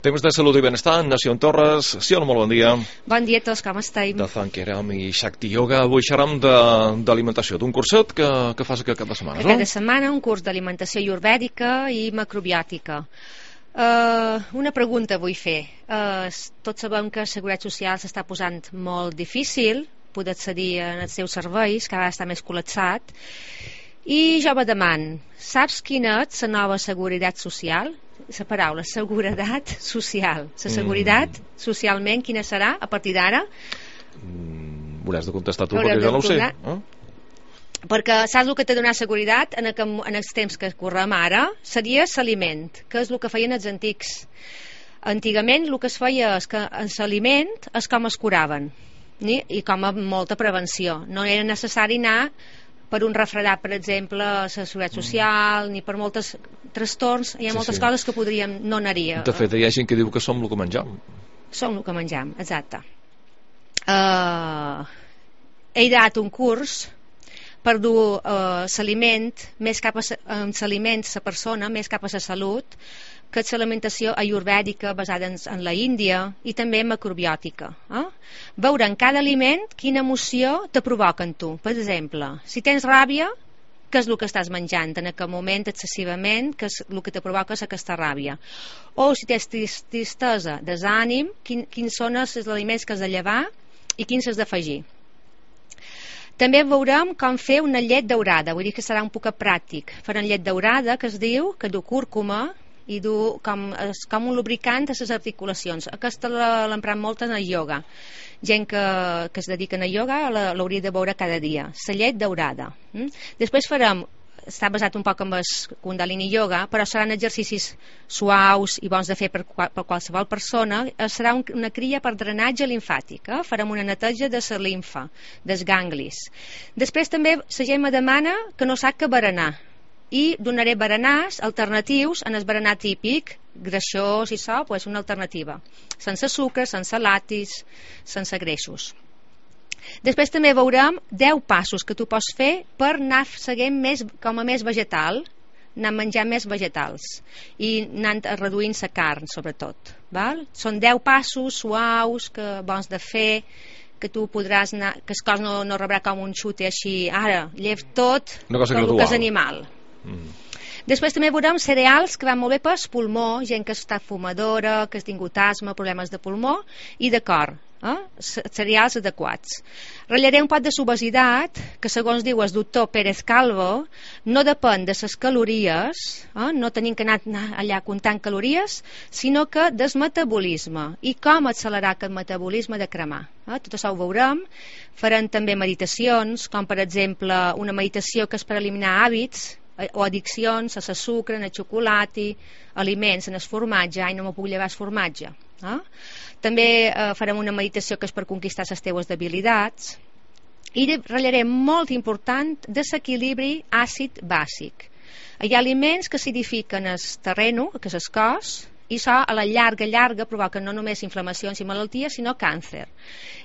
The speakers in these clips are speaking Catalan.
Temps de salut i benestar, Nació en Torres. Sí, hola, molt bon dia. Bon dia a tots, com esteu? De Thankeram i Shakti Yoga. Avui xerram d'alimentació, d'un curset que fas aquest cap de setmana, no? Cada setmana un curs d'alimentació ayurvèdica i macrobiòtica. Una pregunta vull fer. Tots sabem que la Seguretat Social s'està posant molt difícil poder accedir als seus serveis, cada vegada està més col·lapsat. I jo me demano, saps quina és la nova seguretat social? La paraula, seguretat social. La seguretat, socialment, quina serà a partir d'ara? Hauràs de contestar tu, perquè jo no ho sé. Perquè saps el que t'ha donat seguretat en els temps que correm ara? Seria l'aliment, que és el que feien els antics. Antigament el que es feia és que l'aliment és com es curaven, i com a molta prevenció. No era necessari anar per un refredat, per exemple, a la Seguretat Social, ni per molts trastorns. Hi ha moltes coses que podríem no anar-hi. De fet, hi ha gent que diu que som el que menjam. Som el que menjam, exacte. He ideat un curs per dur l'aliment més cap a la persona, més cap a la salut, que és l'alimentació ayurvèdica basada en la Índia i també macrobiòtica. Veure en cada aliment quina emoció te provoca en tu. Per exemple, si tens ràbia, què és el que estàs menjant en aquest moment excessivament, que és el que te provoca és aquesta ràbia? O si tens tristesa, desànim, quins són els aliments que has de llevar i quins has d'afegir. També veurem com fer una llet daurada, vull dir que serà un poc pràctic. Farem llet daurada, que es diu, que du cúrcuma i du com un lubricant a les articulacions. Aquesta l'empren molt en el ioga. Gent que es dediquen a ioga l'hauria de veure cada dia. La llet daurada. Després farem, està basat un poc en el Kundalini Yoga, però seran exercicis suaus i bons de fer per qualsevol persona. Serà una cria per drenatge limfàtic. Farem una neteja de la limfa, dels ganglis. Després també la gent me demana que no sap què berenar, i donaré berenars alternatius en el berenar típic, greixós i so, doncs una alternativa, sense sucre, sense lactis, sense greixos. Després també veurem 10 passos que tu pots fer per anar seguint com a més vegetal, anar menjant més vegetals i anant reduint la carn, sobretot. Són 10 passos suaus, bons de fer, que tu podràs anar, que el cos no rebrà com un xute així, ara, llev tot el que és animal. Després també veurem cereals que van molt bé pel pulmó, gent que està fumadora, que ha tingut asma, problemes de pulmó i de cor, cereals adequats. Ratllaré un pot de l'obesitat, que segons diu el doctor Pérez Calvo no depèn de les calories, no tenim que anar allà comptant calories, sinó que del metabolisme i com accelerar aquest metabolisme de cremar. Tot això ho veurem. Farem també meditacions, com per exemple una meditació que és per eliminar hàbits o addiccions a sucre, al xocolata, aliments, en el formatge, no m'ho puc llevar el formatge. També farem una meditació que és per conquistar les teves debilitats i ratllarem molt important de l'equilibri àcid-bàsic. Hi ha aliments que acidifiquen el terreno, que és el cos, i això a la llarga provoca no només inflamacions i malalties, sinó càncer.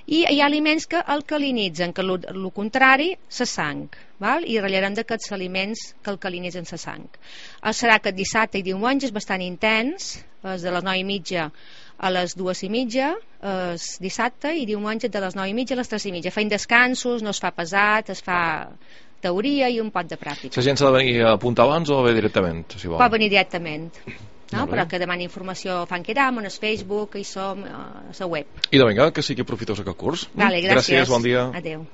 I hi ha aliments que alcalinitzen, que el contrari, la sang, i ratllarem d'aquests aliments que alcalinitzen la sang. Serà aquest dissabte i diumenge, és bastant intens, és de les 9:30 a les 2:30, dissabte, i diumenge de les 9:30 a les 3:30. Feim descansos, no es fa pesat, es fa teoria i un pot de pràctica. La gent s'ha de venir a apuntar abans o ve directament? Si vol? Pot venir directament. Però que demani informació a Thankeram, en el Facebook, i som a la web. I de vinga, que sigui profitós aquest curs. Gràcies, bon dia. Adéu.